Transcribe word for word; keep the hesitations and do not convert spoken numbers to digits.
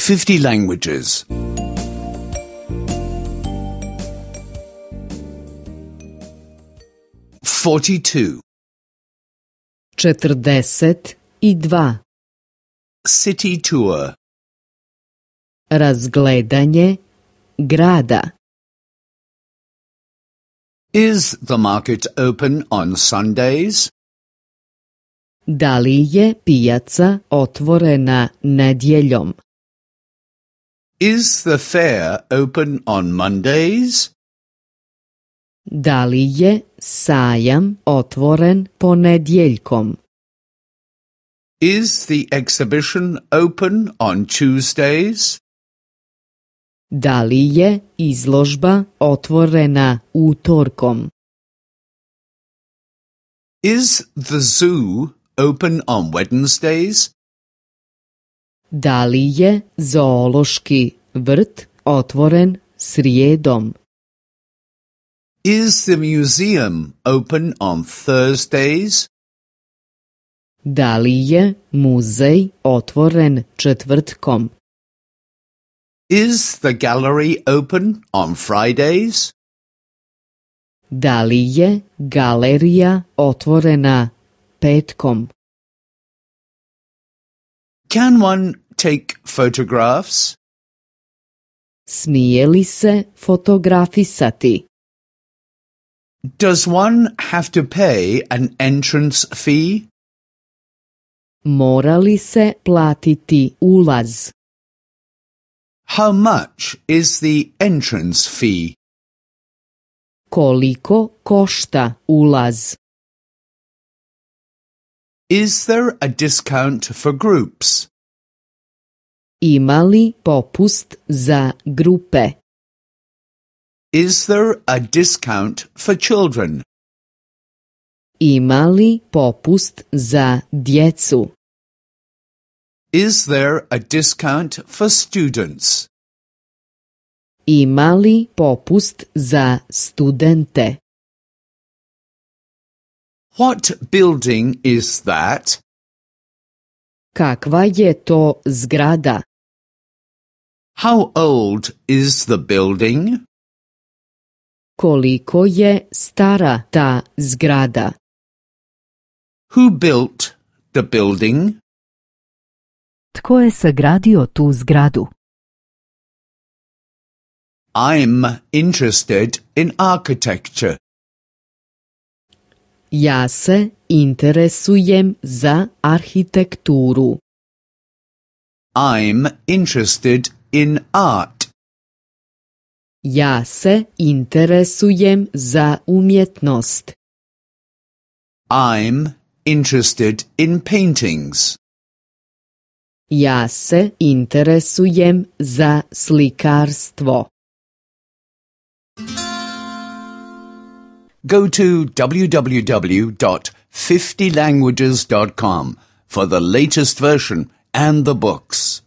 fifty languages. forty-two. četrdeset dva. City tour. Razgledanje grada. Is the market open on Sundays? Da li je pijaca otvorena nedjeljom? Is the fair open on Mondays? Da li je sajam otvoren ponedjeljkom? Is the exhibition open on Tuesdays? Da li je izložba otvorena utorkom? Is the zoo open on Wednesdays? Da li je zoološki vrt otvoren srijedom? Is the museum open on Thursdays? Da li je muzej otvoren četvrtkom? Is the gallery open on Fridays? Da li je galerija otvorena petkom? Can one take photographs? Smije li se fotografisati? Does one have to pay an entrance fee? Mora li se platiti ulaz? How much is the entrance fee? Koliko košta ulaz? Is there a discount for groups? Ima li popust za grupe? Is there a discount for children? Ima li popust za djecu? Is there a discount for students? Ima li popust za studente? What building is that? Kakva je to zgrada? How old is the building? Koliko je stara ta zgrada? Who built the building? Tko je sagradio tu zgradu? I'm interested in architecture. Ja se interesujem za arhitekturu. I'm interested in art. Ja se interesujem za umjetnost. I'm interested in paintings. Ja se interesujem za slikarstvo. Go to w w w dot fifty languages dot com for the latest version and the books.